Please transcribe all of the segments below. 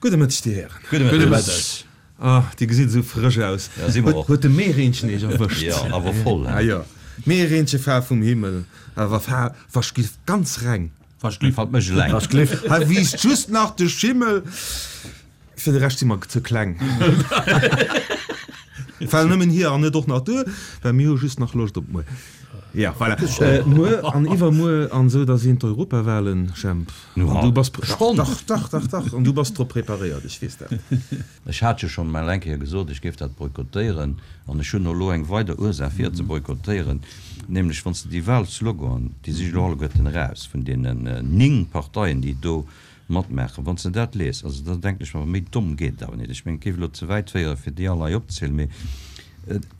Gudde Mëtteg, Dir Hären. Gudde Mëtteg. Ah, Dir gesitt esou frësch aus. Ja, si mer och. Huet de Meereenchen Iech erwëscht? Jo, awer voll, he? Ah jo, Meereenche far vum Himmel, awer far waschgliff ganz reng. Waschgliff hat mech eleng. Waschgliff. Hei wiisst just nach de Schimmel. Fir de Rescht si mer ze kleng. Well nëmmen hir an net och nach duer, well mir hu just nach Loscht op muer. Ja, voilà. Muer an iwwermuer an esou, da sinn d'Europawahlen, Jemp. An du bass, Schonn? Dach, dach, dach, dach. An du bass drop preparéiert, ech weess dat. Ech hat jo schonn mol eng Kéier gesot, ech géif dat boykottéieren. An ech hunn elo eng weider Ursaach fir et ze boykottéieren, nämlech wann s de déi Wahlsloganen, déi si jo elo alleguerten eraus vun deenen 9 Parteien, déi do matmaachen. Wann s de dat liest, also da denken ech mer, méi domm geet et awer net. Ech mengen, et géif elo ze wäit féieren, fir déi all hei opzezielen, mee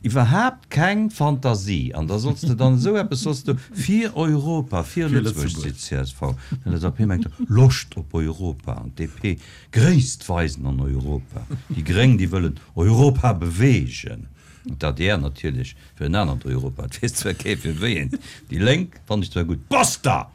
iwwerhaapt keng Fantasie. An da solls de dann esou eppes solls de fir Europa, fir Lëtzebuerg, seet d'CSV. D'LSAP mengt da Loscht op Europa an d'DP Gréisst weisen an Europa. Déi Gréng, déi wëllen Europa beweegen. An d'ADR natierlech Fir en anert Europa, et weess zwar kee fir wéi eent. Déi Lénk fannen ech zwar gutt. Basta!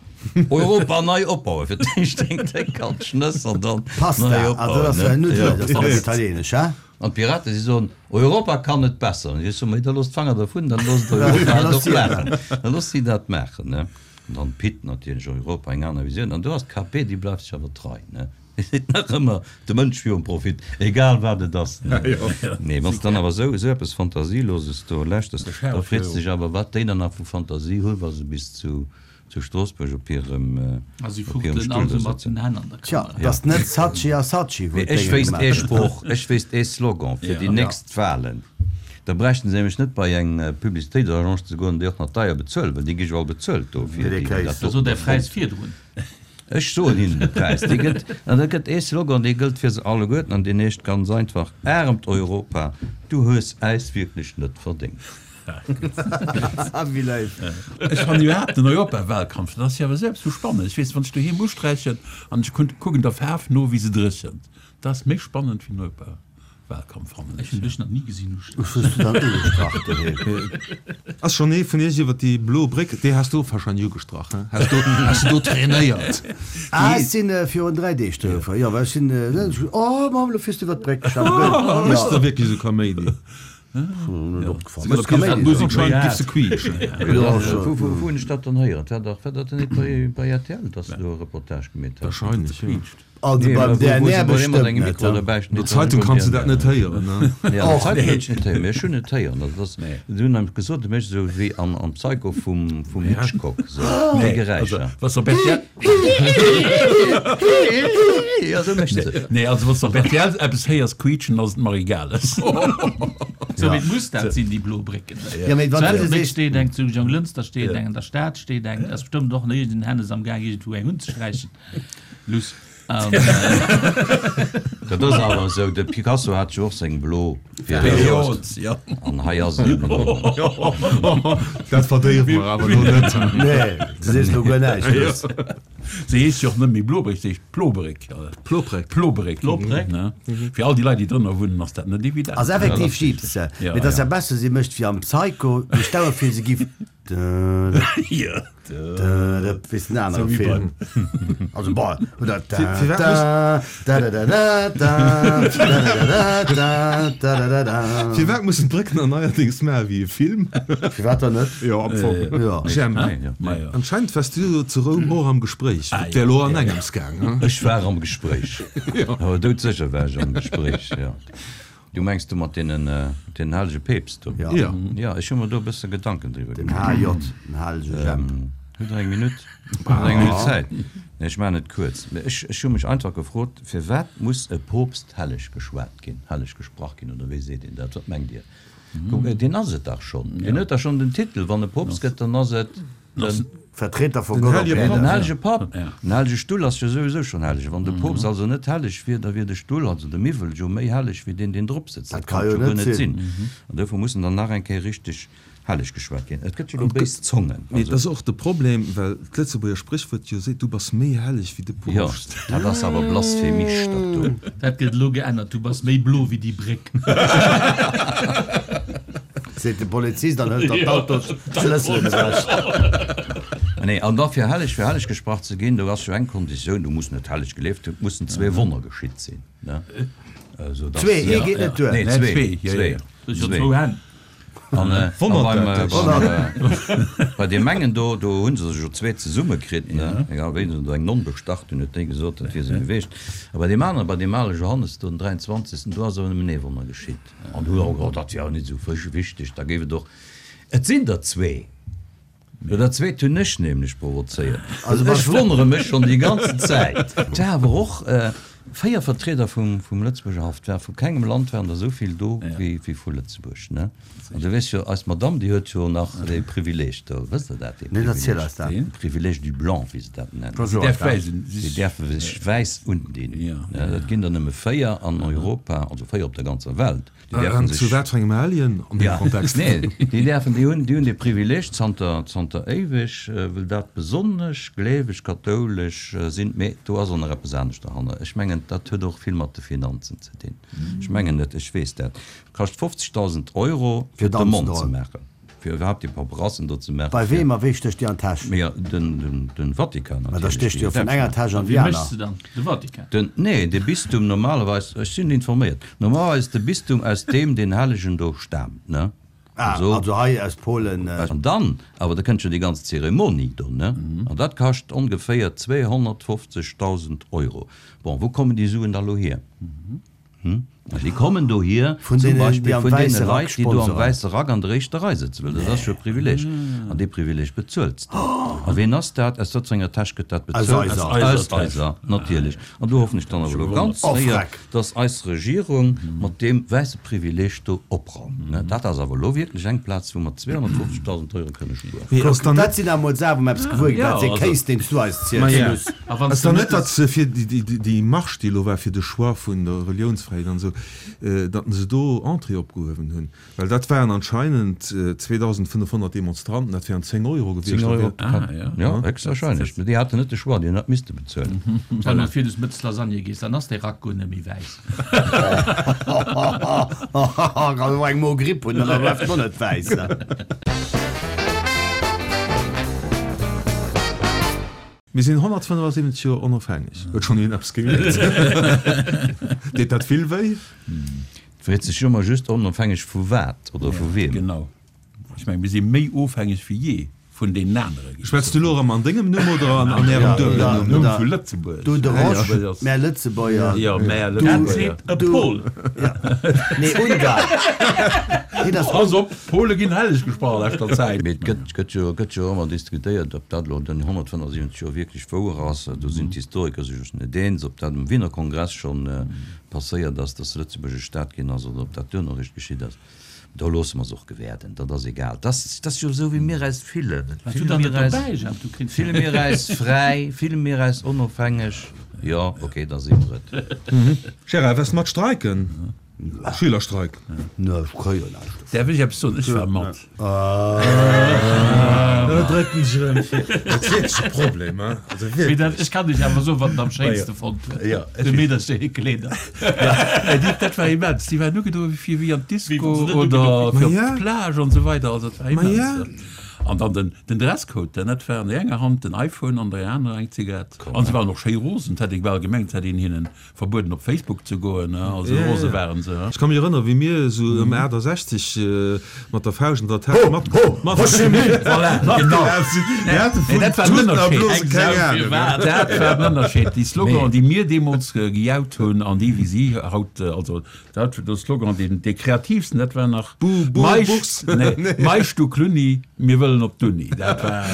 Europa nei opbauen, fir d'éischt eng déck kalt Schnëss an dann Pasta, nei also dat ass opbauen, ne? Nuddelen, Jo. dat ass dann italienesch, he? An d'Piraten, si soen, Europa kann et besser. An ech soen, Mee da loosst d'Fanger dervun, dann loosst Europa et och maachen. Da loosst si dat maachen, ne? An dann d'Pit natierlech, Europa, eng aner Visioun. An do ass d'KP, déi bleift sech awer trei, ne? Et seet nach ëmmer, de Mënsch virum Profit, egal wat et ass. Nee, wann s de dann awer esou esou eppes Fantasieloses do lauschters, da freets de dech awer, wat déi dann nach vu Fantasie hunn, wa se bis zu zu Stroossbuerg op hirem A si op hirem fuchtelen Stull all do esou mat sëtzen. den Hänn an der Tja, Kamera. et ass net Saatchi a Saatchi, wou Mee ech d'Dénge wéisst gemaach ee gëtt. Sproch, ech wéisst ee Slogan fir déi nächst Wahlen, da bräichten se nämlech net bei eng Publicitéitsagence ze goen, déi och nach deier bezuelen, well déi gi jo all bezuelt dofir, déi déi dat Da sot do Är Präis virdrun. Ech soen hinnen de Präis. Dee gëtt, an da gëtt ee Slogan, dee gëllt fir se alleguerten, an deen heescht ganz einfach, Aremt Europa, du hues äis wierklech net verdéngt. Wéi léif. Ech fannen iwwerhaapt den Europawahlkampf, dat ass jo awer selbst sou spannend. Ech weess, wann ech doheem usträichen an ech kucken der Faarf no, wéi se dréchent, dat ass méi spannend wéi den Europa. Wahlkampf fannen ech. Ech hunn dech nach ni gesinn ustrach. Ech hues du dann ugestrach doheem? Ass schon ee vun iech iwwer déi blo Bréck, déi has du och wahrscheinlech ugestrach, he? Has du, has du do trainéiert? Ah, ech sinn virun 3 Deeg do gefuer, jo, well ech sinn, oh Mamm, lo fiers du iwwer d'Bréck, ech war gewöhnt. Méchs de da wierklech esou Kaméidi? Net opgefall. Méchs Kaméidi? Anscheinend giff se quietschen. Wou hunn ech dat dann héieren? War dach, war dat net bei, bei rtl, dass se do e Reportage gemeet haten? Wahrscheinlech, jo. Also beim DNR bestëmmt net. An der Zeitung kanns de dat net héieren, ne? Nee, an der Zeitung hunn ech net héieren, mee ech hunn et héieren. Also dat ass, si hunn nämlech gesot, et mécht esou wéi am am Psycho vum vum Hitchcock, esou déi Geräischer. Also wann s de op rtl. Jo, esou mécht se. Nee, also wann s de op rtl eppes héiers quietschen, ass et d'Marie Gales. Sou wéi et muss dat sinn, déi blo Brécken. Jo, mee wann Zu du Ettelbréck sees. steet eng, zu Jonglënster steet eng, an der Stad steet eng. Et ass bestëmmt och nach iergend en Hennes am Gaang iergendwou eng unzesträichen. Luss. Dat ass awer esou, de Picasso hat jo och seng blo Period, an hei ass et eben och. Dat verdéiwe mer awer elo net. Nee, du sees elo guer näischt, Luss. Se heescht jo och net méi Blobréck, se heescht Plobréck. Plobréck. Plobréck. Plobréck. Fir all déi Leit, déi drënner wunnen, ass dat net evident. Ass effektiv jiips se, mee et ass ja besser, si mécht wéi am Psycho, duerch d'Auer fir se giff. Wéi den anere Film. Also bon, oder Firwat mussen d'Brécken dann neierdéngs maache wéi e Film? Firwat dann net? Jo, am Fong. Jo. Jemp, anscheinend waars du jo zu Roum och am Gespréich. Et wär elo an engems gaang, hein? Ech war am Gespréich. Awer doudsécher war ech am Gespréich, jo. Du mengs du mat deenen, den hellege Peepst do? Ja. Ja, ech hu mer do e bësse Gedanken driwwer Den gemaach. HJ, den hellege Jemp. Hutt Der eng Minutt? Hutt Der eng Minutt Zäit? Nee, ech maachen et kuerz. Mee ech, ech hu mech einfach gefrot, Firwat muss e Poopst helleg geschwat ginn, helleg gesprach ginn, oder wéi seet een dat? Wat mengt Dir? Kuck, deen ass et dach schonn. Deen huet dach schonn den Titel. Wann e Poopst gëtt, dann ass et den. Vertreter vu Den Gott op hellege Äerden. Den hellege Papp. Den hellege Stull ass jo souwisou schonn helleg. Wann de Poopst also net helleg wier, da wier de Stull, also de Miwwel, jo méi helleg wéi deen, deen drop sëtzt. Dat ka jo guer net net sinn. sinn. An dofir muss en dann nach eng Kéier richteg helleg geschwat ginn. Et gëtt jo elo béis Zongen. Mee et ass och de Problem, well d'Lëtzebuerger Spréchwuert jo seet, Du bass méi helleg wéi de Jo, Poopst. dat ass awer blasphemisch, dat do. Dat gëtt elo geännert, Du bass méi blo wéi déi Bréck. Seet de Polizist an hëlt der d'Autosschlësselen ewech. Nee, an da fir helleg, fir helleg gesprach ze ginn, do ass jo eng Konditioun, du muss net helleg gelieft hunn, et mussen zwee Wonner geschitt sinn, ne? Esou dass. Zwee, ee geet net duer. Nee, zwee, zwee. Du hues jo zwou Hänn. An beim, beim, bei deem engen do, do hu se sech jo zwee zesumme kritt, ne? Egal wéi, se hunn do eng Nonn bestach, dunn huet déi gesot, dat wier se geweecht. A bei deem aneren, bei deem ale Johannes do, den 23., do ass awer nëmmen ee Wonner geschitt. An du, oh, dat wier awer net esou wichteg, da géif et och, et sinn der zwee. Jo, dat zweet hunn ech nämlech provozéiert. Also ech wonnere mech schonn déi ganzen Zäit. Et war awer och 4 Vertrieder vum Lëtzebuerger Haff. Et war vu kengem Land waren der esou vill do wéi vu Lëtzebuerg, ne? An du weess jo, eis Madamm, déi huet jo nach dee Privileeg do. Wësst Der dat, dee Privileeg? De Privilège du blanc, wéi se dat nennen. Déi däerfe sech wäiss undinn. Dat ginn der nëmme 4 an Europa, also 4 op der ganzer Welt. Déi däerfen sech. Zu wat fir engem Alien an deem Kontext? Nee, déi däerfen, déi hunn, déi hunn dee Privileeg zanter, zanter éiweg, well dat besonnesch gleeweg kathoulesch sinn. Mee do ass och nach eppes anescht derhanner. Ech mengen, dat huet och vill mat de Finanzen ze dinn. Ech mengen net, ech weess dat. Kascht 50.000 Euro, fir d'Demande ze maachen. Fir iwwerhaapt déi Paperassen do ze maachen. Bei weem a wéi stécht déi an d'Täsch? Mee den, den Vatikan natierlech. Mä da stécht déi jo vun enger Täsch an déi Wie aner. mécht se dann? De Vatikan? Den, nee, de Bistum normalerweis, ech sinn informéiert, normalerweis de Bistum aus deem deen Hellegen do staamt, ne? Ah, Also, also hei aus Polen. An dann awer, da kënnt jo déi ganz Zeremonie do, ne? An dat kascht ongeféier 250.000 Euro. Bon, wou kommen déi Suen da lo hier? Hm? Déi kommen dohier Vun zum deenen, déi Beispill am vun deene wäisse Rack Leit, déi do am sponsoren. wäisse Rack an der éischter Rei sëtzen, well dat ass jo e Privileeg. An dee Privileeg bezuels de. A ween ass dat? Aus wat fir enger Täsch gëtt dat Aus bezuelt? eiser. Aus eiser, natierlech. An do hoffen ech dann awer elo ganz Oh, séier, freck. dass eis Regierung mat deem wäisse Privileeg do opraumt. Ne? Dat ass awer elo wierklech eng Plaz, wou mer 250.000 Euro kënne spueren. Mee ass Kuck, dann dat net. sinn awer mol Saachen, wou mer eppes gewuer ginn. Ja, Dat ass ee also. Kéis, deen s du eis ziels. Ma ja. Luss. A wann Ass s de dann net, net datt se fir déi Marche, déi elo war fir de Choix vun der Reliounsfräiheet an esou, datt se do Entrée opgehuewen hunn? Well dat waren anscheinend 2.500 Demonstranten, dat wären 10 Euro gewiescht. 10 Euro Da pro Kapp, jo, héchstwahrscheinlech. Mee déi haten net de Choix, déi hunn dat misste bezuelen. Wann du virdes mëttes Lasagne gees, dann ass dee Rack guer net méi wäiss. Kann och eng Mogripp hunn, dann bleift en och net wäiss. Mir sinn 175 Joer onofhängeg. Huet schonn een eppes gemierkt? Deet dat vill wéi? Et freet sech jo ëmmer just, onofhängeg vu wat oder vu wiem? Genau. Ech mengen, mir si méi ofhängeg wéi jee vun deenen anere. Schwätz du elo erëm an dengem Numm oder an ärem duebelen Numm? Numm? Vu Lëtzebuerg. Du de Rosch, mär Lëtzebuerger. Jo, mär Dat Lëtzebuerger. seet e Pol. Nee, Ungar. Hien ass. Pass op, D'Pole ginn helleg gesprach a leschter Zäit. Mee et gëtt, gëtt jo, gëtt jo ëmmer diskutéiert, ob dat elo den 175 Joer wierklech wouer ass. Do sinn d'Historiker sech net eens, ob dat um Wiener Kongress schonn passéiert ass, datt Lëtzebuerg e Staat ginn ass, oder ob dat duerno eréischt geschitt ass. Do loosse mer se och gewäerden, dat ass egal. Dat ass, dat ass jo esou, wéi mir eis fillen. Waars du Fille dann mir net eis, dobäi, Jemp? Du kriss fille mir eis fräi, fille mir eis onofhängeg? Jo, okay, da si mer et. Gérard, waars de mat streiken? Schülerstreik. Ne, ech kréie jo näischt dofir. Däerf ech eppes soen? Ech war mat. Elo dréckt en sech erëm vir. Dat ass wierklech e Problem, hein? Also Mee dat, wierklech. ech kann dech awer soen, wat en am schéinste fonnt huet. Jo, ech De weess. Meedercher hir Kleeder. Mä déi, dat war immens. Déi waren ugedoe fir wéi an Wéi d'Disco wann se net oder ugedoe fir op Ma ja. d'Plage an esou weider. Also dat war Ma ja. immens. An dann den, den Dresscode, denn dat war an der enger Hand den iPhone, an der anerer eng Zigarett. An se waren och schéi rosen, 't hätt ee bal gemengt, 't hätt een hinnen Verbueden op Facebook ze goen, also rose waren se. Ech ka mech erënneren, wéi mir esou ëm 68 mat der Fauscht an der Täsch mat matgelaf sinn. Mir hate vun Tuten a Blosen keng Ahnung. Dat war den Ënnerscheed. Déi Slogan, déi mir deemools gejaut hunn an déi, wéi si haut, also dat, de Slogan, deen dee kreativsten, dat war nach Bu, bu, Buchs. Meisch du Klunni, mir wëllen op d'Uni. Dat war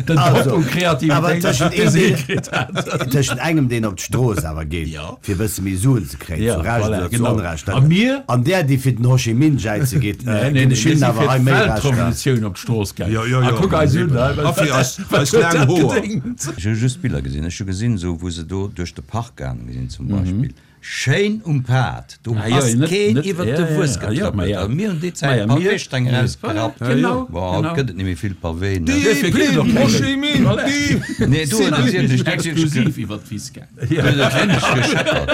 den Top u Kreativitéit, dee se hikritt hat. Tëschent engem, deen op d'Strooss awer geet, fir e bësse méi Suen ze kréien, zu Recht oder zu Onrecht, an där, déi fir den Ho Chi Minh jäize geet, ginn ech hinnen awer hei méi Recht. Weltrevolutioun op d'Strooss gaangen. A kuck eis un, A fir eis laang Hoer. Ech hu just Biller gesinn. Ech hu gesinn, esou wou se do duerch de Park gaange sinn zum Beispill. Schéin um Pad, do ass keen iwwert de Wues getrëppelt. A mir hunn déi Zäit Paweesteng erausgerappt. Bon, haut gëtt et net méi vill Pawee, ne? Nee, do huet et wierklech, do huet et wierklech gescheppert.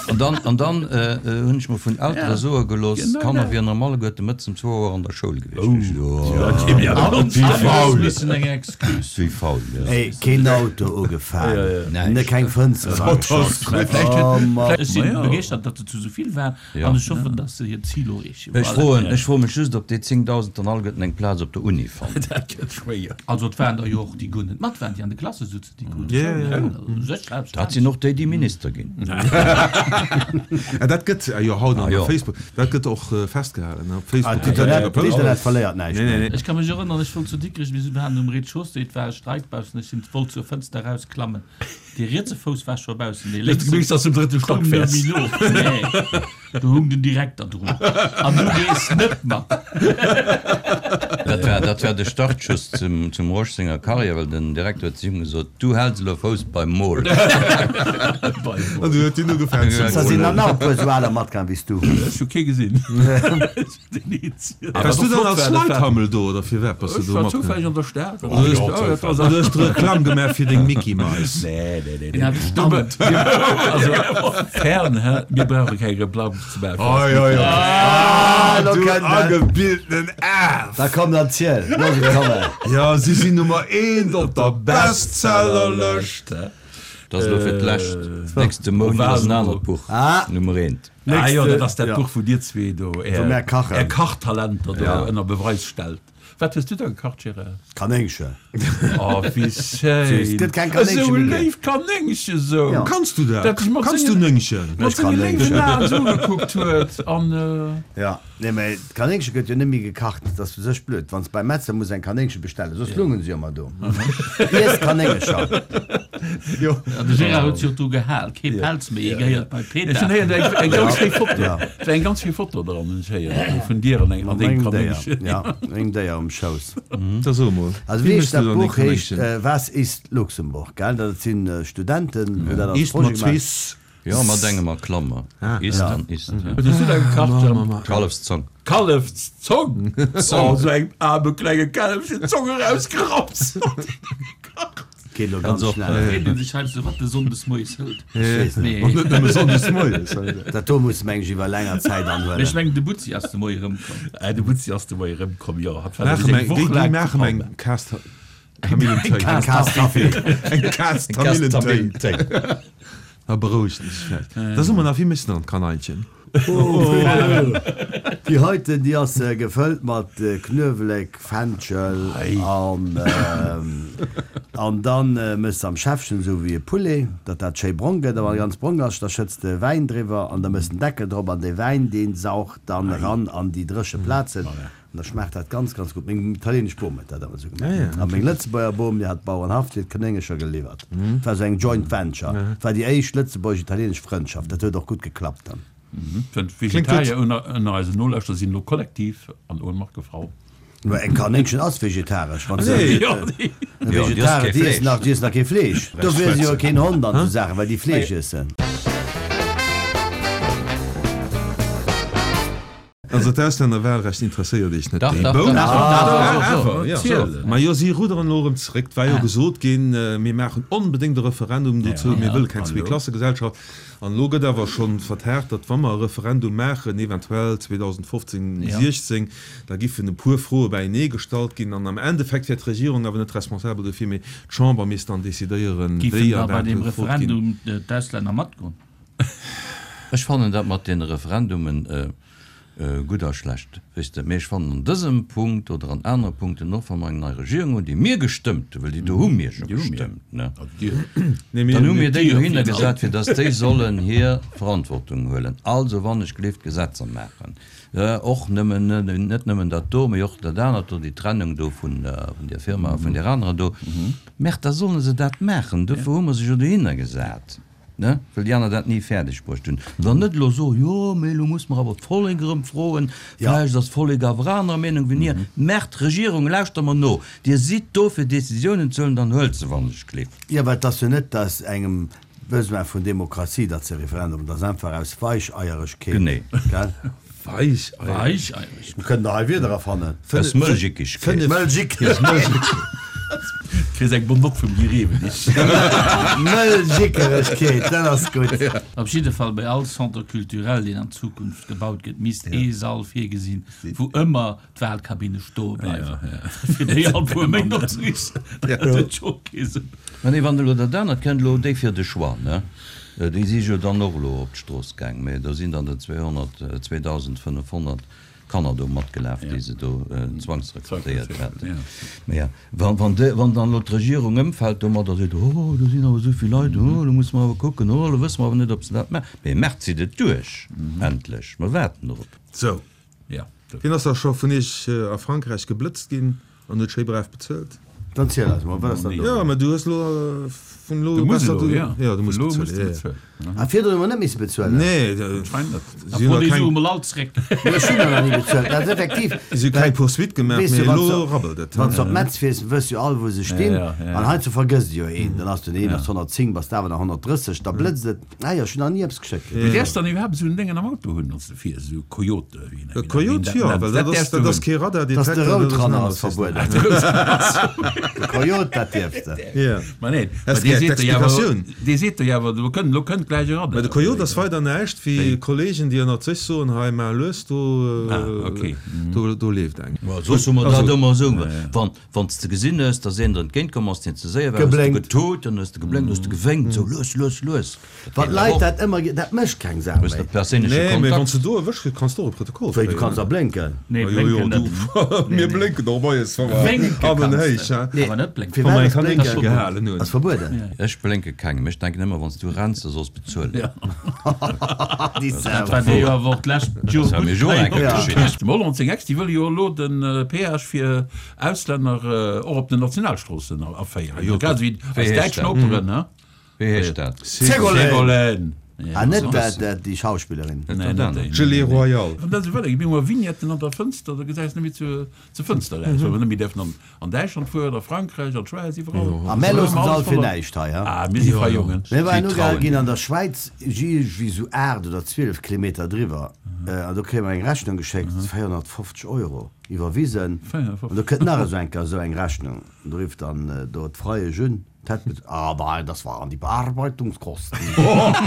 An dann, an dann hunn ech mer vun Eltere soe gelooss, d'Kanner wieren erëm alleguerte mëttes um zwou Auer an der Schoul gewiescht. Wéi faul, jo. Ey, keen Auto ugefaang, ne keng Fënster erageschoss. Oh Mann. Ech si begeeschtert, datt et zu esou vill war an ech hoffen, datt se hiert Zil erreechen. Ech froen, ech froe mech just, ob déi 10.000 dann alleguerten eng Plaz op der Uni fannen. Dat gëtt schwéier. Also et waren der jo och, déi guer net mat waren, déi an de Klasse sutzen. Dat sinn och déi, déi Minister ginn. Dat gëtt jo haut an op Facebook, dat gëtt och festgehalen op Facebook. D'Internet verléiert näischt méi. Ech ka mech erënneren, ech wollt zu Dikrech, mir waren um Rez-de-chaussée, et war e Streik baussen, ech sinn, wollt zur Fënster erausklammen, dee rietse Fouss war scho baussen, dee lénkse koum net méi no. Do hung den Direkter drun. An du gees net mat. Dat war, dat war de Startschuss zum, zum Rosch senger Karriär, well den Direkter huet zu him gesot, Du häls elo Fouss beim Mol. An du huet hien ugefaangen ze Da sinn der nach e puer esou aler matgaang wéi s du. Ech hu kee gesinn. Waars du dann als Leithammel do oder firwat bass du do Ech war matgaangen? zoufälleg an der Stad. Du hues d'Reklamm gemaach fir deng Micky Mais. Nee, nee, nee, nee. Also, fern, hä? Mir brauche keng Reklamm ze maachen. Oi, oi, oi. Ah, lo Du kënnt et. agebildeten Af! Da komm dann ziel, looss et kommen. Jo, si sinn Nummer eent op der Bestsellerlëscht. Dat ass elo fir d'lescht. Nächste Mount ass en anert Buch Nummer eent. Ah jo, dat ass dat Buch, wou dir zwee do Är Är Kachtalenter do ënner Beweis stellt. Wat hues du da gekacht, Gérard? Kanéngchen. Oh, wéi schéin! Et gëtt keng Kanéngche Esou méi e ginn. léift Kanéngche sou! Ja. Kanns du dat? Dat sech mat Kanns du sengen, Néngchen? mat Ech kann senge léiwen Néngchen. Aen sou ugekuckt huet an. Ja, nee, mä d'Kanéngche gëtt jo net méi gekacht. Dat ass u sech blöd, wann s beim Metzler muss eng Kanéngche bestellen, soss lungen se jo ëmmer do. Iess Kanéngecher. Jo. An de Gérard huet sech och dru gehal, kee Pelz méi, hie gehéiert bei Ech PETA. hunn héieren, eng, eng ganz schéi Foto. Ja. Et war eng ganz schéi Foto dran, hunn ech héieren, vun dir an eng, an Mat dengem mengem Déier. Kanéngchen. Ja, mengem Déier um Schouss. Da so emol, Also wéi wéi méchs heescht du dat dann deng Buch heescht Kanéngchen? Was ist Luxemburg, gell? Dat sinn Studenten, wou dat als Ist mat Projet zwee gemaach. s. Jo, mat engem a Klammer. Ist an ist. Wat hues du da gekacht, Jhemp? Kallefszong. Kallefszong? Oh, esou engem aarme klenge Källefchen d'Zong erausgerappt. Geet elo ganz schnell. Freet een sech heiansdo, wat de Sonndes moies hëlt. Ech weess net. Nee. An net nëmme Sonndes moies. Dat do muss meng ech iwwer länger Zäit anhuelen. Mee ech mengen, de Butzi ass de Moie erëmkomm. De Butzi ass de Moie erëmkomm, jo. Hatt war Maache nämlech mer eng eng, Woch déi laang zu maache mer eng Palma. Kaass Kamillentéi. Eng Kaass Kaffi. Eng Kaass Kamillentéi. Da berouegt en sech vläicht. Da so mer nach, wéi méchs de dann d'Kaneinchen? Déi heiten, déi ass gefëllt mat Knuewelek, Fenchel an an dann méchs de am Schäffchen esou wéi e Poulet, datt dat schéi brong gëtt. A wann e ganz brong ass, da schëtts de Wäin driwwer an da méchs den Deckel drop an dee Wäin, dee saucht dann eran an déi dréche Plazen. An da schmaacht dat ganz, ganz gutt. Meng italienesch Bom huet dat ëmmer esou gemaach. A meng Lëtzebuerger Bom, déi hat Bauernhaff, déi huet Kanéngercher geliwwert. Et war esou eng Joint Venture. Et war déi éischt lëtzebuergesch-italienesch Frëndschaft. Dat huet och gutt geklappt dann. D'Vegetarier ënner eisen Nolauschterer sinn elo kollektiv an Ohnmacht gefall. Mä eng Kanéngchen ass vegetaresch. Wann se Vegetarier, déi iessen nach, déi iessen nach kee Fleesch. Dofir iessen se jo keen Hond an esou Saachen, well déi Fleesch iessen. Also d'Auslännerwahlrecht interesséiert Iech net? Dach, Déi dach, Boun? dach, dach, dach, Awer, jo. Ziel. Majo, si rudderen elo erëm zeréck. Et war jo gesot ginn, mir maachen onbedéngt e Referendum dozou, mir wëlle keng Zweeklassegesellschaft. An elo gëtt awer scho vertaagt, datt wa mer e Referendum maachen, eventuell 2015, 16, da giffen e puer Froe bäienee gestallt ginn. An am Endeffekt wär d'Regierung awer net responsabel dofir, mee d'Chamber misst dann decidéieren, Giffen wéi da a bei wat deem gefrot ginn. Referendum d'Auslänner matgoen? Ech fannen dat mat deene Referendumen gutt a schlecht, weess de, mee ech fannen an dësem Punkt oder an anere Punkten, och wa mer eng nei Regierung hunn, déi mir gestëmmt hunn, well déi do hu mir jo gestëmmt, ne, dann hu mir déi dohinner gesat, fir datt déi sollen hir Verantwortung huelen, also wann ech gleeft Gesetzer maachen, och nëmmen, net nëmmen dat do, mee och dat anert do, déi Trennung do vun där Firma a vun där anerer do, Merde, da solle se dat maachen, dofir hu mer se jo dohinner gesat. Ne? Well déi aner dat ni fäerdeg bruecht hunn. Dann net elo soen, jo, mee elo muss mer awer d'Vollek erëm froen, vläicht ass d'Vollek awer anerer Meenung wéi mir. Merkt, Regierung, lauschter mer no, Dir sidd do fir Décisiounen ze huelen, dann huelt se wann ech gleef. Jo, well et ass jo net, datt engem Besoin vun Demokratie, datt se Referendum, et ass einfach aus Weicheieregkeet, Genee. gell? Weicheieregkeet. Mir kënnen der hei Wierder erfannen. Aus Mëlchikegkeet. Mëlchikegkeet. Kriss eng bonne Note vum Guy Rewenig. Mëll Jickeregkeet, dat ass gutt. Op jidde Fall bei all Centre culturel, deen an Zukunft gebaut gëtt, misst ee Sall virgesinn, wou ëmmer d'Wahlkabinne stoe bleiwen, fir déi all puer Méint opzeriichten. Dat huet scho kee Sënn. Mä nee, wann elo dat anert kënnt, elo déi fir de Choix, ne, déi si jo dann och elo op d'Strooss gaang, mä do sinn dann der 200, 2.500 Kanner do matgelaf, déi se do zwangsrekrutéiert haten. Mä ja, wann, wann de, wann dann elo d'Regierung ëmfält domadder, seet, oh, do sinn awer esou vill Leit, oh, elo musse mer awer kucken, oh, elo wësse mer awer net, ob se dat maachen. Mä maacht se et duerch, endlech, mer waarden drop. Sou. Wien ass da scho vun iech a Frankräich geblëtzt ginn an huet schéi brav bezuelt? Dann ziel eis mol, wat ass dann do? Jo, mä du hues elo vun elo Du muss elo, jo. Jo, du muss bezuelen, jo, jo. Ah, virdrun hu mer net misse bezuelen? Nee, Anscheinend net. Da fro déi Sue mol all zréck. Nee, ech hunn der nach ni bezuelt. Dat ass effektiv. Si hu keng Poursuite gemaach, Weess mee du, wann elo s rabbelt et. Wann s de op Metz fiers, wëss jo all, wou se stinn. An heiansdo vergësst jo een. Dann ass den een ass 110, bass de awer nach 130, da blëtzt et. Ah jo, ech hunn nach ni eppes geschéckt kritt. Mee däerfs dann iwwerhaapt esou en Déngen am Auto hunn, wann s de fiers, esou Coyote, wéi een dat nennt? Jo, well dat ass, dat ass kee Radardetektor. Dass de Roadrunner ass verbueden. De Coyote, dat dierfs de. Jo. Ma nee, Häss dee gär seet der jo awer, d'Explikatioun? dee seet der jo awer, do kënnt, elo kënnt gläich e Radar. Mä de Coyote ass weider näischt wéi Kollegen, déi ënnert sech soen, hei maach lues, do, do, do leeft eng. Soss hu mer dat ëmmer esou, wann, Wann s de gesinn hues, dass een der entgéint komm ass, deen ze séier war, hues de getut, dann hues de geblénkt, hues de gewénkt, sou lues, lues, lues. Wann d'Leit dat ëmmer gi, dat mécht keng Sau Hues méi. de perséinleche Nee, mee wann Kontakt. s de do erwëscht gëss, kanns de och e Protokoll Wéi, du kréien. kanns da blénken? Nee, Jo, jo, blénken du, net. mir blénken och moies, wa mer Wénke an den kanns Héich, de, hein. Nee, awer net blénken. Wa firwat mer eng ass Kanéngche blénken gehalen hunn. ass verbueden? Ech blénke kengem. Ech denken ëmmer, wann s du renns, da solls bezuelen. Déi Sau. Dat war dir jo awer och d'lescht Joer Dat war mir gutt jo och eng Kéier Ja. geschitt. Dem Hollande seng Ex, déi wëll jo elo de Péage fir Auslänner och op den Nationalstroossen aféieren, Jo, grad esou wéi Wéi eis heescht däitsch dat? Noperen, ne? Wéi heescht dat? Ségolène! Ségolène! Ah, net dat, dat, déi Schauspillerin. Nee, net déi. Gelée royale. Wann dat esou weidergeet, mir hu mer Vignetten an der Fënster, da gesäis net méi zur, zur Fënster eraus, well mer net méi däerfen an, an Däitschland fueren, a Frankräich, an d'Schwäiz, iwwerall. A mär loossen se all fir näischt hei, ha? Ah, mir si frei Jongen. Mir waren Si ugehal trauen ginn dir. an der Schwäiz, iergendwéi esou 8 oder 12 Kilometer driwwer, an do kréie mer eng Rechnung geschéckt, 450 Euro. Iwwerwisen. An do kënnt nach esou eng Kéier esou eng Rechnung. An do rifft dann do d'Freiesch un, d'hätt bez-, Ah, nein, das waren die Bearbeitungskosten.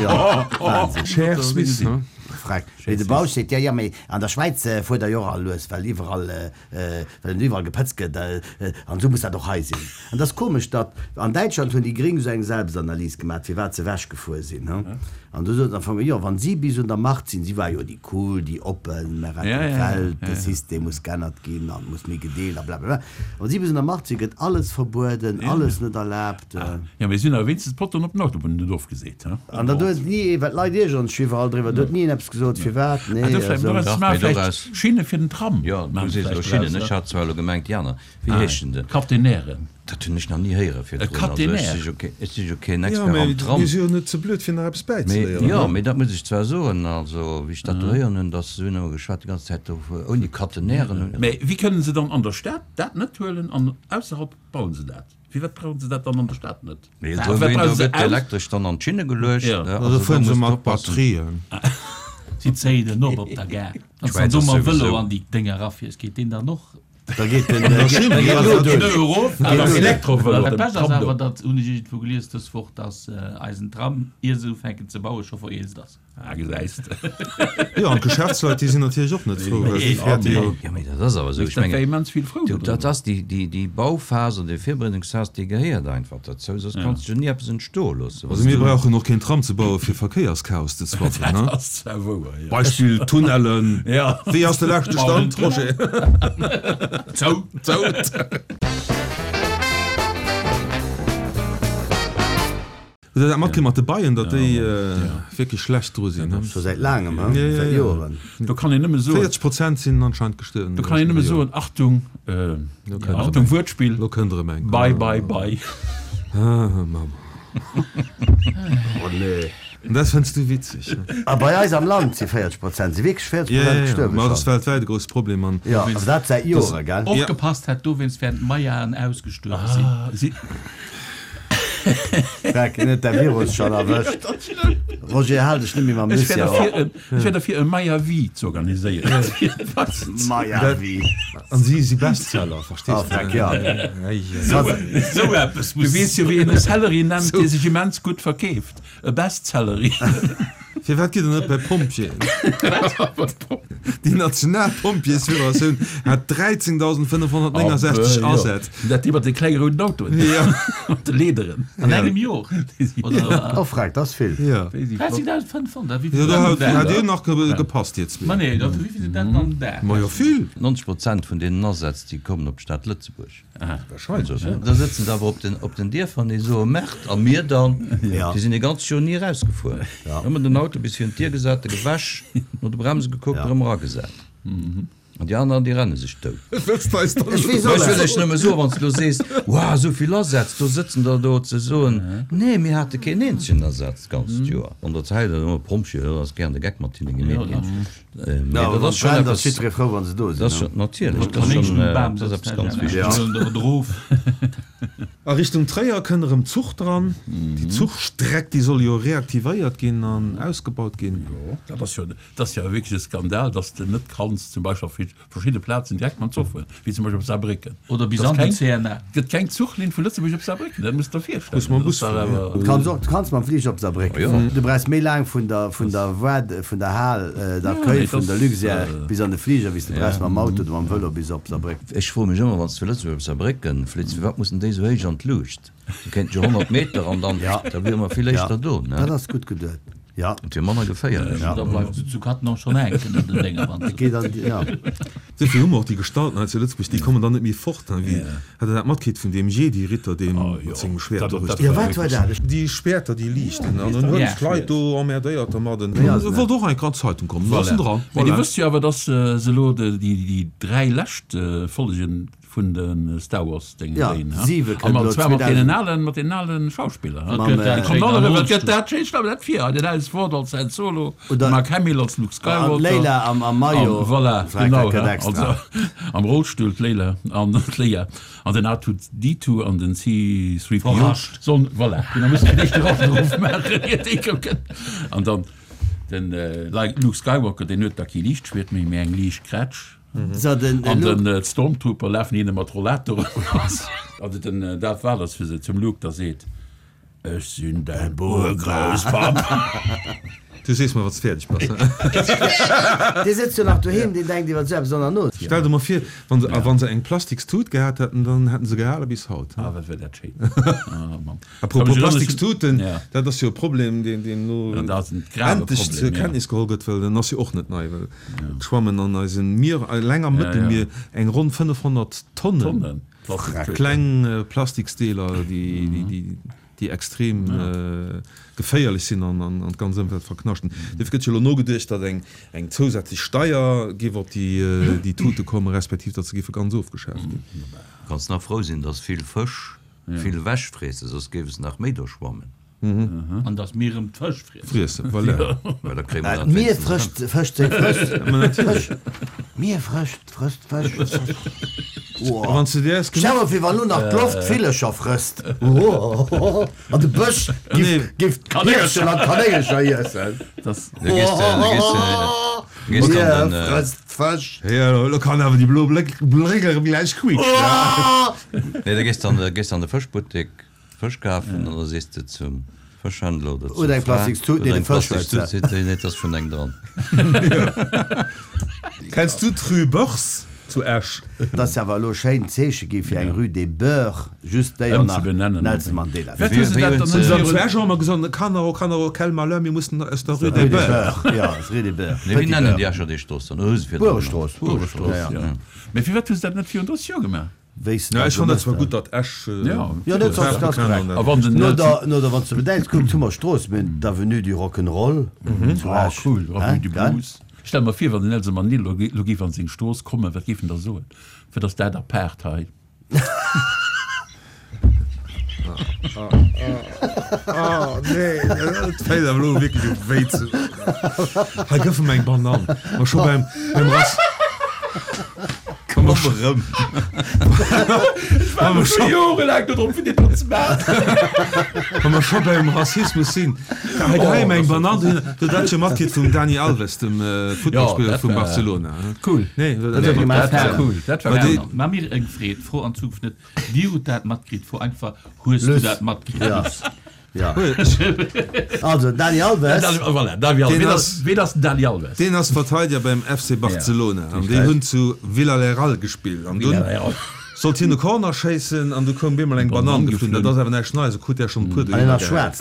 Jo, Wahnsinn. Cher Suisse, ne? Freck. Mee de Bausch seet, Jo, jo, mee an der Schwäiz fuert Der jo och all lues, well iwwerall, well en iwwerall gepëtzt gëtt. An esou muss dat och hei sinn. An et ass komesch, datt an Däitschland hunn déi Gréng esou eng Selbstanalys gemaach, firwat se ewechgefuer sinn. An du sot am Fong, jo, wann si bis un der Macht sinn, si war jo déi cool, déi oppen, mer retten d'Welt, de System muss g'ännert ginn an et muss méi gedeelt a blablabla. Wann si bis un der Macht sinn, gëtt alles verbueden, alles net erlaabt. Jo, mee si hunn awer wéinstens d'Potten op den Autobunnen net ofgeseet, he? An da huet ni ee, well d'Leit iergeren sech iwwerall driwwer, do huet ni een eppes gesot, firwat, nee, esou. Dach, mee doraus. Schinne fir den Tram. Jo, du sees elo Schinnen, ech hat zwar elo gemengt déi aner, wéi heeschen se? Catenairen. Dat hunn ech nach ni héiere virdrun. Also ech si jo keen, ech si jo keen Jo, Expert mee am Tram. mir si jo net ze blöd fir nach eppes Mee, bäizeléieren, jo, ne? mee dat muss ech zwar soen, also wéi ech dat do héieren hunn, dass se hunn ëmmer geschwat déi ganz Zäit do ouni Catenairen hunn. Mee wéi kënnen se dann an der Stad dat net huelen an ausserhalb bauen se dat? Firwat brauchen se dat dann an der Stad net? Mee do gëtt elektresch dann an d'Schinne geluecht, ne? Also Also do fueren se muss de mat oppassen. Batterien. Si zéien en op op der Gare. Wann s de dann do mam Vëlo an déi Dénger erafiers, geet deen dann och? Da geet den erof. Dat Bescht ass awer, dat hunn ech iergendwou gelies dës Woch, datt eisen Tram, ier se ufänken ze bauen, scho vereelzt ass. Ah, gesäis de. Jo, an d'Geschäftsleit, déi sinn natierlech och net frou, well déi fäerte jo. Jo, mee dat ass awer esou. Ech mengen, dat ass déi, déi, déi Bauphas oder déi Virbereedungsphas, déi gehéiert einfach derzou, soss kanns de jo ni eppes entstoe loossen. Also mir brauchen och keen Tram ze bauen, fir Verkéierschaos ze zwaffen, ne? Dat ass zwar wouer, jo. Beispill Tunnellen. Wéi ass de leschte Stand, Roger? Zou. Zou. Hutt Der dat matkritt mat de Beien, datt déi wierklech schlecht dru sinn? Scho säit laangem, he? Säit Joeren. Do kann een nëmme soen. 40 Prozent sinn anscheinend gestuerwen. Do kann een nëmme soen, Achtung, Achtung Wuertspill, Lo kënnt erëm eng. Bei, bei, bei. Ah, Mamm. Oh nee. An dat fënns du witzeg, ne? A bei eis am Land si 40 Prozent, si wierklech 40 Ja, Prozent ja, ja. gestuerwe Ma dat ass schonn. weltwäit e grousst Problem an. Jo, awer dat säit Jore, gell? Opgepasst hätt, dowéinst wäerten d'Mayaen ausgestuerwe sinn. Ah, si. Freck, en huet däi Virus schonn erwëscht. Roger, hal dech net méi mam Ech wär Lucien derfir op. en, ech wär derfir e Maya-Vie ze organiséieren. Maya-Vie. An si si Bestseller, verstees Ah, de? Freck, ja. Ei, ei. Sou, sou eppes Du muss. weess jo wéi een e Celery nennt, dee sech immens gutt verkeeft. E Bestsellery. Firwat gitt Der net bei d'Pompjeeën? Déi national Pompjeesfederatioun hat 13.569 Asätz. Dat déi mat de klenge rouden Autoen. Ja. Mat de Leederen. An engem Jor? Oder? Oh freck, dat ass vill. Ja. 13.500, wéi vill Jo, do am Dag? hat Dir nach gepasst, Dir zwee. Ma nee, da wéi vill sinn dat am Dag? Ma jo, vill. 90 Prozent vun deenen Asätz, déi kommen op d'Stad Lëtzebuerg. Wahrscheinlech. Da sëtzen se awer op den, op den Dierfer an déi soe Merde, a mir dann? Ja. Déi sinn e ganzt Joer ni erausgefuer. Ëmmer den Auto bis virun d'Dier gesat, e gewäsch, no de Bremse gekuckt, erëm eragesat. An déi aner, déi renne sech dout. Wëlls de eis dann Ech weess Mä och ech wëll net. lech nëmme soen, wann s de elo sees, Wow, esou vill Asätz, do sëtzen der do, ze soen, Nee, mir hate keen eenzegen Asaz d'ganzt Joer. An der Zäit, ëmmer Pompjeeë, do ass gären de Geck mat hinne gemeet ginn. Mee No, dat wann ass schonn brennt, ass eppes, jiddweree frou, wa se do dat sinn, ass ne? schonn, natierlech, dat ass schonn, dat ass eppes ganz Wichteges. A Richtung Tréier kënn erëm Zuch dran. Déi Zuchstreck, déi soll jo reaktivéiert ginn an ausgebaut ginn. Jo, dat ass jo, dat ass jo wierklech e Skandal, dass de net kanns zum Beispill op verschidde Plazen direkt mam Zuch fueren, wéi zum Beispill op Saarbrécken. Oder bis an den CNA. Et gëtt keng Zuchlinn vu Lëtzebuerg op Saarbrécken, dat muss de der virstellen. Muss mam Dat Bus ass dach fueren, awer. Du kanns och, du kanns mam Fliger op Saarbrécken. Du brauchs méi laang vun der, vun der Voie, vun der Hal d'accueil vun der Luxair bis an de Fliger, wéi s de brauchs mam Auto oder mam Vëlo bis op Saarbrécken. Ech froe mech ëmmer, wann s de vu Lëtzebuerg op Saarbrécken flitt, firwat mussen déi esou héich an d'Luucht? Du kéint jo 100 Meter an dann, da wiere mer vill éischter do, ne? Dat ass gutt geduet, jo. Et wier manner geféierlech. Da bleift se zu Cattenom schonn hänken an den Dénger, wann se. Geet an déi, ja. Duerfir hu mer och déi Gestalten hei zu Lëtzebuerg, déi kommen dann net méi fort, ne? Wéi, hat Der dat matkritt vun deem Jedi-Ritter, dee mat sengem Schwäert do duerch Jo, wat war dat? Déi Schwäerter, déi liichten, an en huet d'Leit do emmerdéiert dermat. En wollt och enk an d'Zeitung kommen, do ass en dran. Mee Dir wësst jo awer, dass se elo déi 3 lescht Follegen Vun de Star Wars Déngen Ja, déi, ha? siwe An kënnt mat elo zwar mat deenen 2000. alen, mat deenen alen Schauspiller, ha? Wat gëtt dat Déi schéin kommen alle am erëm, wat gëtt Rollstull. dat schéin, stell mer dat vir, den Harrison Ford als Han Solo, de Oder Mark Hamill als Luke an Skywalker, d'Leila am, am an Maillot, voilà, Frag, genau, dat gëtt ha? extra. Also am Rollstull d'Leila an d'Leia an den R2D2 an den C3PO Verrascht. sollen, voilà, genau, mussen fir d'éischt de Raschtruff maachen, ier déi kommen. An dann den Luke Skywalker, deen huet da kee Liichtschwiert méi, mee eng Liichtgrätsch. So, den An Luke. den Stormtrooper lafen hinne mat Rollatoren lass. Also den Darth Vader ass fir se zum Luke, da seet, Ech sinn däin Urgrousspapp. Du sees mer, wann s de fäerdeg bass. Dee sëtzt jo nach doheem, deen denkt iwwer esou eppes och nach no. Stell der mol vir, wann se, a wann se eng Plastikstut gehat hätten, dann hätten se gehale bis haut. Ah, wat wär dat schéin. Ah, Mann. Apropos Plastikstuten, dat ass jo e Problem, deen elo endlech zur Kenntnis geholl gëtt, well en ass jo och net nei, well et schwammen an eise Mier, eleng am Mëttelmier, eng ronn 500 Tonnen kleng Plastiksdeeler, déi extrem geféierlech sinn an d'ganz Ëmwelt verknaschten. Dofir gëtt jo elo nogeduecht, datt eng zousätzlech Steier géif op déi Tute kommen, respektiv datt se géife ganz ofgeschaaft ginn. Kanns nach frou sinn, datt vill Fësch Vill ewech friessen, soss géif es nach méi do schwammen. An dass mir erëm d'Fësch friessen. Friessen, voilà. Well da kréie mer dat D'Mier wéinstens frëscht erëm. Fëscht seng Frëss. Ma natierlech. D'Mier frëscht frësst Fësch. A wann s de dir es Stell mer vir, wann elo nach d'Loft d'Villercher frësst. An de Bësch giff giff d'Hirschen an d'Kanéngercher iessen. Da gees de, da gees de, da gees de an den. D'Mier frësst d'Fësch. Jo, elo kann awer déi blo Bléck Bléck erëm gläich quietschen. Nee, da gees de an de, gees de an de Fëschbuttek Fësch kafen an da sees de zum Fëschhändler oder zur Huet eng Fra, Plastikstut, huet nee, de eng Fësch huet se. Plastikstut, seet déi, nee, et ass schonn eng dran. Kenns du d'Rue Beurs zu Esch? Et ass awer elo schéin d'Zeeche gi fir eng Rue des Beurs, just déi an nach Ëmzebenennen. Nelson Mandela. Wat hu se dat dann Zu virun. Esch hu mer gesot, Kanner, oh Kanner, oh quel malheur, mir mussen aus der Rue des Rue des Beurs. Beurs, jo, rue des Beurs, Nee, wéi Petit nennen Beurre. déi Escher déi Strooss dann? Hu se virdrun genannt? Buerestrooss. Buerestrooss, jo. Mee firwat hu se dat net virun 30 Joer gemaach? Wéi s de Ja, dat ech fannen dat zwar gemacht gutt, datt Esch Ja. Jo, dat ass, dat ass korrekt. A wann den No Nelson. der, no der, wann s de bedenks, kuckt, hu mer Strooss, mir hunn d'Avenue du Rock'n'Roll zu Ah, Esch. cool, Avenue Hein, du gell? Blues. Stell mer vir, wann den Nelson Mandela lo lo géif an seng Strooss kommen, wat géif en da soen? Wat ass dat apaart hei? Oh nee, dat fänkt awer elo wierklech u wéi ze doen. Hei gëff em eng Banann. Ma scho beim, beim Rass. Komm erëm. Ech waarde scho jorelaang dodrop fir deen do ze maachen. Wa mer scho beim Rassismus sinn, hei doheim eng Banann, du hues dat jo matkritt vum Dani Alves, dem Footballspiller vum Barcelona. Cool. Nee, dat war cool. Dat war cool. Maa mir eng Freed, fro an Zukunft net, Dir hutt dat matkritt, fro einfach, Hues du dat matkritt? Luss. Ja. Also, Dani Alves. Voilà, Dani Alves. Ween ass, ween ass den Dani Alves? Deen ass Verteideger beim FC Barcelona an déi hunn zu Villarreal gespillt an dunn sollt hien e Corner schéissen an du koum bemol eng Banann geflunn. Dat ass awer näischt Neies, e krut där schonn e puer dohinner gehat.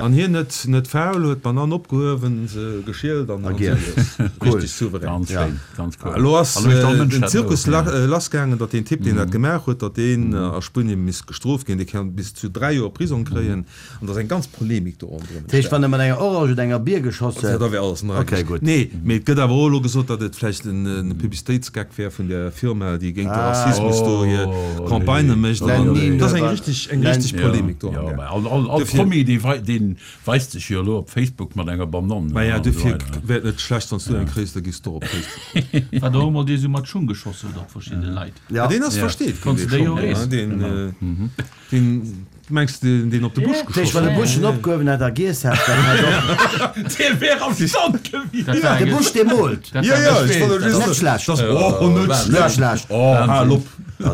An hien net net faul, huet d'Banann opgehuewen, se geschielt an an giess. Richteg souverän. Ganz schéin, ganz cool. Elo ass den Zirkus lassgaangen, datt deen Typ, deen dat gemaach huet, datt deen a Spuenie misst gestrooft ginn. Dee kann bis zu 3 Joer Prisong kréien an et ass eng ganz Polemik do ronderëm Dat heescht, wann e mat enger Orange oder enger Bier geschoss huet. Da wär alles an der Rei Okay, gutt. Nee, mee et gëtt awer och elo gesot, datt et vläicht en Publicitéitsgeck wär vun där Firma, déi géint de Rassismus do hir Campagnë mécht. An et ass eng richteg, eng richteg Polemik do amgaang. All, all, all Promi, dee wei, dee weist sech jo elo op Facebook mat enger Banann. Maja, dofir wär et net schlecht, wann s du eng kréis, da gees du och op Facebook. Wat och emol dee sou mat Schung geschoss huet op verschidde Leit. Ja. Deen ass versteet ginn, dee Schong, deen, deen, mengs de, deen op de Busch geschoss huet? Wann de Busch en opgehuewen hätt a giess hätt, dann hätt och. Dee wär am Stand gewiescht. De Busch, dee moolt. Jo, jo, ech wollt elo just. Net schlecht. Das, oh, net schlecht. Net schlecht. Oh, hal op.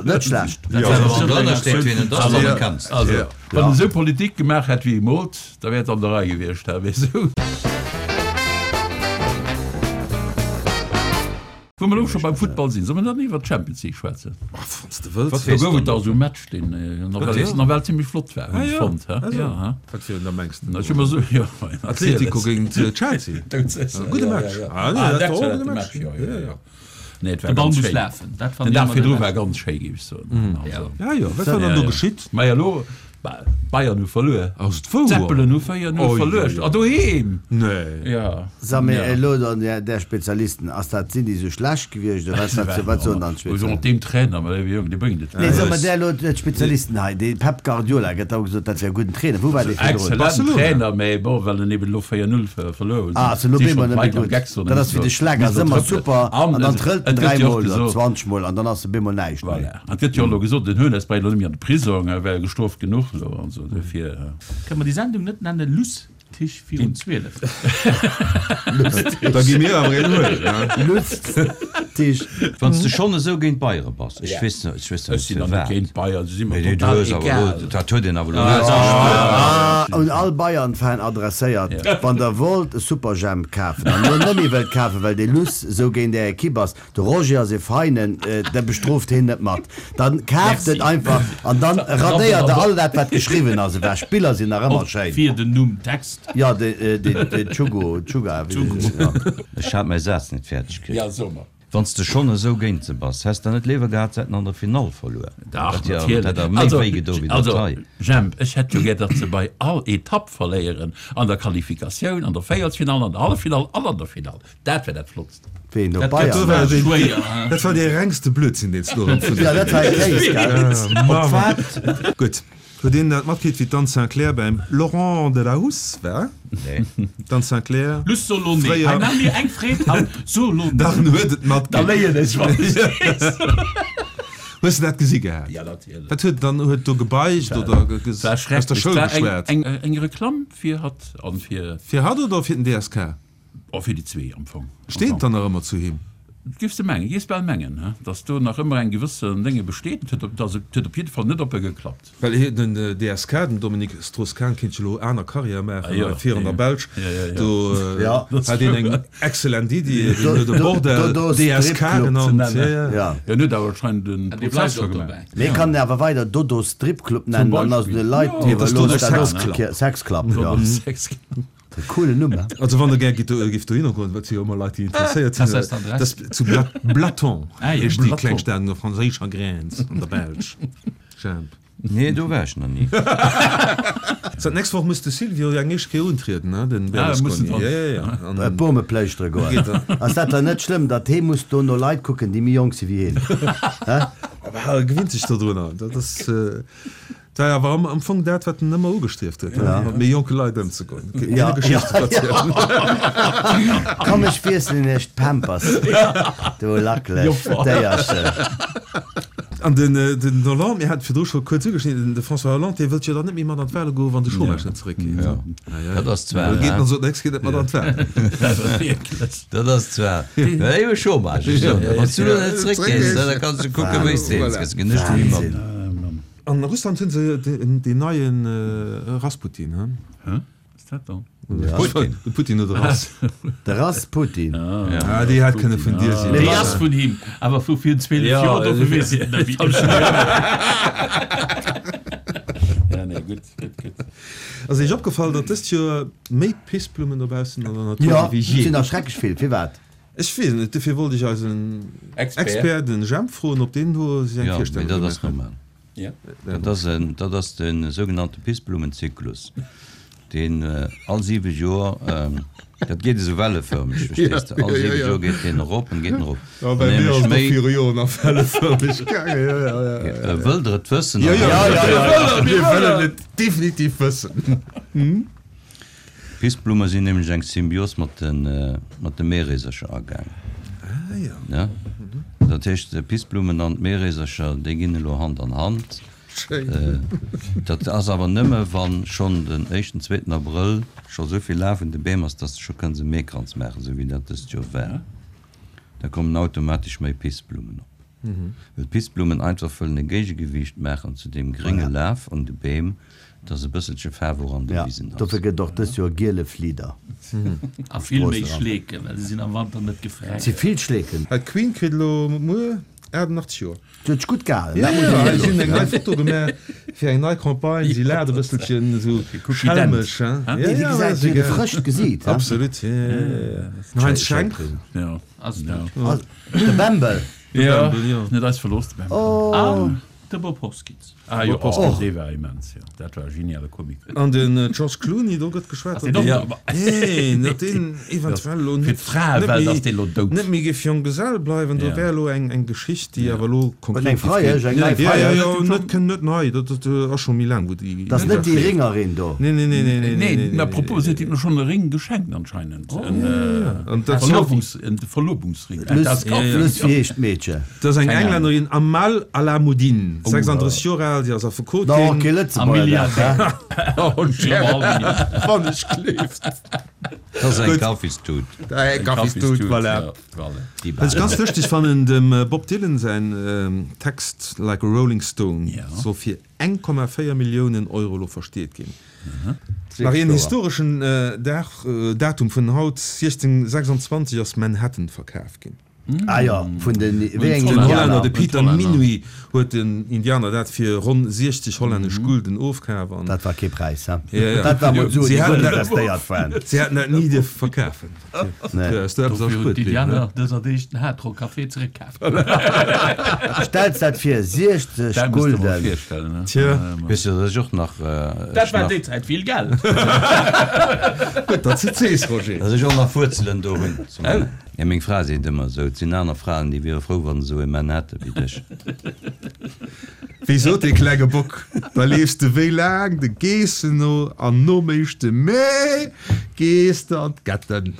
Net schlecht. Wann drënner steet, wien et ass, dann erkenns de et. Wann en esou Politik gemaach hätt, wéi e moolt, da wär et an der Rei gewiescht, weess du. Wou mer elo scho beim Futtball sinn, solle mer dann iwwert d'Champions League schwätzen? Wann s de wëlls. Do gouf et dach esou e Match, deen nawell zimlech flott war, hunn ech fonnt. Wat fir een da mengs de? Ech hu mer esou, jo, Atletico géint Chelsea. Gudde Match. Ah, dat war och e gudde Match. Jo, jo, jo. Nee, et war De Ball ganz muss schéin. lafen. Dat Den Dag virdru war ganz schéi, géif ech soen. Also. Ja, jo, wat war dann do geschitt? Maja, elo, Bayern hu verluer. Ass et wouer? D'Zeppelen hu 4-0 verluer. A doheem! Nee. Ja. Sa mee elo dann där Spezialisten, ass dat, sinn déi sou schlecht gewiescht oder wat, wat, wat soen dann d'Spezialisten? Mat deem Trainer, ma dee Jong, dee bréngt et. Nee, so mer där elo d'Spezialisten hei, dee Pep Guardiola gëtt da gesot, dat wär e gudden Trainer. Wou war dee virdrun? Excellenten Trainer, mee bon, well en eben elo 4-0 verluer huet, Ah, sinn ass elo schonn bemol net méi d'Leit am gutt. Geck soen, Dat ass wéi de Schleck, ass ëmmer super an an dann trëllt et en gëtt jo och dräimol oder gesot, 20 mol an dann ass e bemol näischt méi. Voilà. An et gëtt jo och elo gesot, den Hoeneß bréit elo net méi an de Prisong, e wär gestroft genuch elo an esou, dofir. Kënne mer déi Sendung net nenne Lustig virun 12? Da gi mir awer een huelen, hein? Lustig. Wann s de schonn esou géint d'Bayere bass, ech weess net, ech weess Ech sinn net der net firwat. géint d'Bayern, se si mer Mee du total hues awer egal. elo, dat huet een awer elo lues gespuert. Un all Bayern-Fan adresséiert, Wann der wollt e Superjhemp kafen an elo net méi wëllt kafen, well dee Luss esou géint är Ekipp ass, De Roger ass ee Feinen, der bestrooft heen net mat. Dann kaaft et einfach an dann radéiert der all dat wat geschriwwen ass ewech. D'Biller sinn nach ëmmer schéin. Fir den Numm Text. Jo, de Tschugo, Tschuga, wéi den, jo. Ech hat mäi Saz net fäerdeg kritt. Ja, so mer. Wann s de schonn esou géint se bass, häss der net léiwer gehat, se hätten an der Finall verluer? Dach, Dat hätt natierlech. der méi Also, wéi gedo wéi dat also, hei. Jemp, ech hätt jo gär, datt se bei all Etapp verléieren, an der Qualifikatioun, an der Véierelsfinall, an der Halleffinall an an der Finall. Dat wär dat Flottst. Ween do Dat Bayern war war. dee, Schwéier, hein? dat war dee rengste Blödsinn, deen s du erëm vun Ja, dat war e Kéis, gell? Op wat? Gutt. Huet een dat matkritt, wéi d'Anne Sinclair beim Laurent Delahousse war? Nee. D'Anne Sinclair, Luss, so lo nee. fréier. Hei, maach mir eng Freed haut. So lo nee. Dach, en huet et Da matkritt. léien ech, wann ech weess. Hues de dat gesi gehat? Ja, natierlech. Wat huet dann? Huet do gebeicht oder War aus der schrecklech. Schoul War eng, geschwat? eng, eng Reklamm fir hatt an fir. Fir hatt oder fir den DSK? Oh, fir déi zwee am Fong. Steet et dann nach ëmmer zu him? Giffs de mengen, giffs bal mengen, he, datt do nach ëmmer eng gewëssen Dénge besteet. Et huet op, also et huet op jidde Fall net op e geklappt. Well hie, den DSK, den Dominique Strauss-Kahn, kéint jo elo aner Carrière maachen, Ah jo, hei vir an der Belsch. Jo, jo, jo. Do Jo. hat een eng excellent Iddi, deen huet e Bordell Dodo DSK Stripclub ze genannt. nennen. Jo, jo. Ja. En huet awer anscheinend en Dee Prozess bleift scho och gemaach. dobäi. Mee kann en awer weider Dodo Stripclub nennen, dann ass Beispill. de Leit Jo. Et ass Dodo iwwerlooss dat och Sex ze Club. Sex Club, jo. Dodo Sex Club. E coolen Numm, he? Also wann der gär gitt giff dohinner goen, wat si jo ëmmer Leit déi interesséiert sinn, Ass dat d'Adress? dat ass zu Blaton, Ah jo. heescht déi Blaton. kleng Stad un der franséischer Grenz an der Belsch. Jemp. Nee, do war ech nach ni. So, d'nächst Woch muss de Silvio jo eng éischt Kéier untrieden, ne, den Ah, muss en Berlusconi. dran. Ja, ja, ja. An Äh, Bome pléischtere goen. Geet dann. Ass dat dann net schlëmm, datt hee muss do no Leit kucken, déi méi jonk si wéi heen? Hä? Aber e gewinnt sech dodrunner. Dat ass. Dat war awer am Fong dat, wat en ëmmer ugestrieft huet, mat méi jonke Leit ëmzegoen. Hinne Geschichten verzielen. Komm, ech wiesselen iech d'Pampers, du lackelegt Déierchen. An den Hollande, mir haten virdru scho kuerz ugeschnidden, de François Hollande, dee wëllt jo dann net méi mat an d'Wale goen, wann de Chômage net zeréckgeet. Dat ass zwar. Da geet en sot, Nächst geet net mat an d'Walen. Dat ass zwar, iwwer Chômage, ech soen der, wann s du elo net zeréckgees, da kanns du kucken, wéi s de eens gëss. Ginn ech méi mat. An Russland hunn se deen neie Rasputin, he? Hä? Was dat dann? Putin. De Putin huet e Rass. De Rasputin. Ah, déi hätt kënne vun dir sinn. Déi ass vun him, awer vu virun 12 Joer, dofir weess ech et net méi. Ja, nee, gutt, gutt, gutt. Ass Iech opgefall, datt dëst Joer méi Pissblummen dobaussen an der Natur Jo, si wéi et jee? sinn erschreckeg vill. Firwat? Ech weess et net, dofir wollt ech eisen Expert, den Jemp, froen, ob deen do sech eng Jo, mee Virstellung dat ass gemaach huet. normal. Dat ass en, dat ass de sougenannte Pissblummenzyklus, deen all siwe Joer, dat geet esou wellefërmeg, verstees de, all siwe Joer geet deen erop en geet en erop. Jo, bei mir ass et och viru Joren nach wellefërmeg gaangen, jo, jo, jo, jo. Wëllt Der et wëssen? Jo, jo, jo, jo, mir wëllen et definitiv wëssen. D'Pissblumme sinn nämlech eng Symbios mat de Meereesercher agaang. Ah jo. Ja. Dat heescht, d'Pissblummen an d'Meereesercher, déi ginn elo Hand an Hand. Schéin. Dat ass awer nëmme wa schonn den éischten, zweeten Abrëll scho esou vill Laf un de Beem ass, dass de scho kënns e Meekranz maachen, esou wéi dat dëst Joer war. Da kommen automatesch méi Pissblummen op. Well d'Pissblummen einfach wëllen e Géigegewiicht maachen zu deem grénge Laf un de Beem, dass e bësselche Faarf och an de Ja, Wisen ass. dofir gëtt et och dëst Joer giele Flieder. A vill méi Schleeken, well se sinn am Wanter net gefränkt. Et si vill Schleeken. Hei d'Queen kritt elo muer 88 Joer. Si huet sech gutt gehalen, Ja, dat muss ja, een hir si hunn eng nei loossen. Foto gemaach fir eng nei Campagne. Si laacht e bësselchen esou schelmesch, hein. Ja, Nee, déi ja, gesäit, ass si huet e egal. frëscht Gesiit, hein. Absolut, ja, ja, ja. Den Heinz Schenk. Ja. Ass dat. De Bembel. Ja, Bembel, jo. net eis verlooss, de Bembel. Oh. An de Bob Hoskins. Ah jo, Bob Hoskins. och, dee war immens, jo. Dat war e geniale Comic. An den George Clooney, do gëtt geschwat, Ass deen datt och deen, dout? nee, datt deen eventuell elo Fir net, d'Fraewelt net ass méi, dee lo dout. net méi géif Jonggesell bleiwen. Do Ja. wär elo eng, eng Geschicht, déi awer elo Eng konkret géif Freiesch, ginn. eng nei Ja, ja, Freiesch. jo, net, kënn net nei, dat, dat ass scho méi laang, wou déi. Dat ass net déi Ringerin do. Nee, nee, nee, nee, nee, Nee, nee, mä nee, propos, nee, si huet him schonn e Ring geschenkt anscheinend. En, An dat Verlobungs, en Verlobungsring. Luss, Luss, wéi heescht d'Meedche? Dat ass eng Englännerin, Amal Alamuddin, 36 Joer al, si ass Da och Affekotin. kee Lëtzebuerger, dat, hä? Wann ech gleeft. Dat ass eng Kaffistut. Eng Kaffistut, voilà. Wat ech ganz lëschteg fannen, dem Bob Dylan säin Text Like a Rolling Stone soll fir 1,4 Milliounen Euro elo versteet ginn. Nach een historeschen Dag, Datum vun haut, 1626 ass Manhattan verkaf ginn. Ah jo, vun den, wéi engem Den Hollänner, Indianer? de Pieter Minuit, huet den Indianer dat fir ronn 60 hollännesch Gulden ofkaf. An Dat war kee Präis, he? Ja, ja. Dat war mol Suen, Si déi hätten guer net dat, investéiert waren. si hätten dat ni dierfe verkafen. Nee. Ass do eppes Dofir hunn erspuert bliwwen, d'Indianer ne? dëser Deeg den Hard Rock Café zeréckkaf. Stells dat vir, 60 Dat muss de mol Gulden! virstellen, ne? Tja. Weess de, dat ech och nach, Dat ech war nach, déi Zäit vill Geld. Gutt, datt s de et sees, Roger. dat ech och nach Wuerzelen do hunn. Ja, meng Fra seet ëmmer esou, et sinn aner Fraen, déi wiere frou, wann se esou e Mann hätte wéi dech. Wéi sot dee klenge Bock, da leefs de wéi laang de Geessen no an nom éischte Mee gees de an d'Getten.